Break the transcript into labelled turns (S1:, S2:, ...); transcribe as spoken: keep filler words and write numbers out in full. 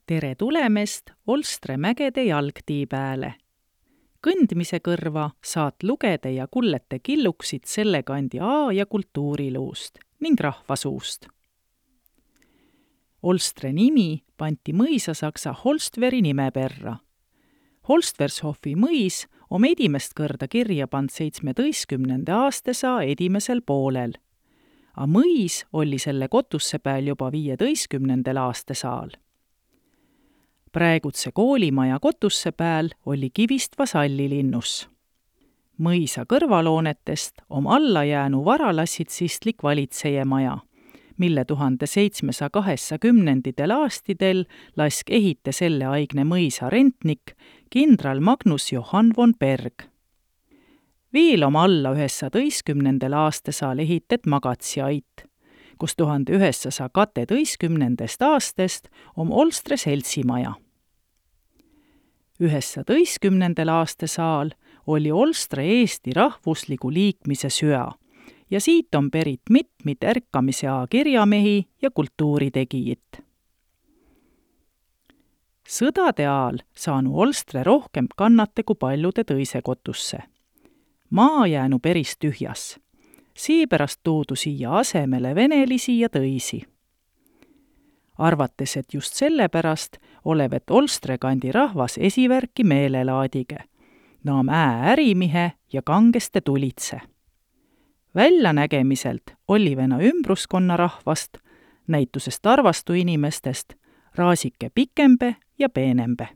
S1: Tere tulemast Olstre mägede jalgtii pääle. Kõndmise kõrva saat lugeda ja kullete killuksid selle kandi aa- ja kultuuriluust ning rahvasuust. Olstre nimi panti mõisasaksa Holstveri nime perra. Holstvershofi mõis om edimest kõrda kirja pand seitsmeteistkümnenda aastasa edimesel poolel, a mõis oli selle kotusse pääl juba viieteistkümnendel aastasaal. Praegutse koolimaja kotusse pääl oli kivist vasallilinnus. Mõisa kõrvaloonetest om alla jäänu varalassitsistlik valitseje maja, mille tuhande seitsmesaja kaheksakümnenditel aastidel lask ehite selle aigne mõisa rentnik kindral Magnus Johann von Berg. Viil om alla üheksateistkümnendal aastasaal ehitet magatsiait, kus tuhande üheksasaja kaheteistkümnendast aastast om Olstre seltsimaja. üheksateistkümnendal aastasaal oli Olstre Eesti rahvusligu liikmise süa ja siit on perit mitmid ärkamise aa kirjamehi ja kultuuritegijit. Sõdade aal saanu Olstre rohkem kannate kui paljude tõise kotusse. Maa jäänu peris tühjas. Seepärast tuudu siia asemele venelisi ja tõisi. Arvates, et just sellepärast olevat Olstre kandi rahvas esivärki meelelaadige, naam ää ärimihe ja kangeste tulitse. Väljanägemiselt oli vena ümbruskonna rahvast, näitusest arvastu inimestest, raasike pikembe ja peenembe.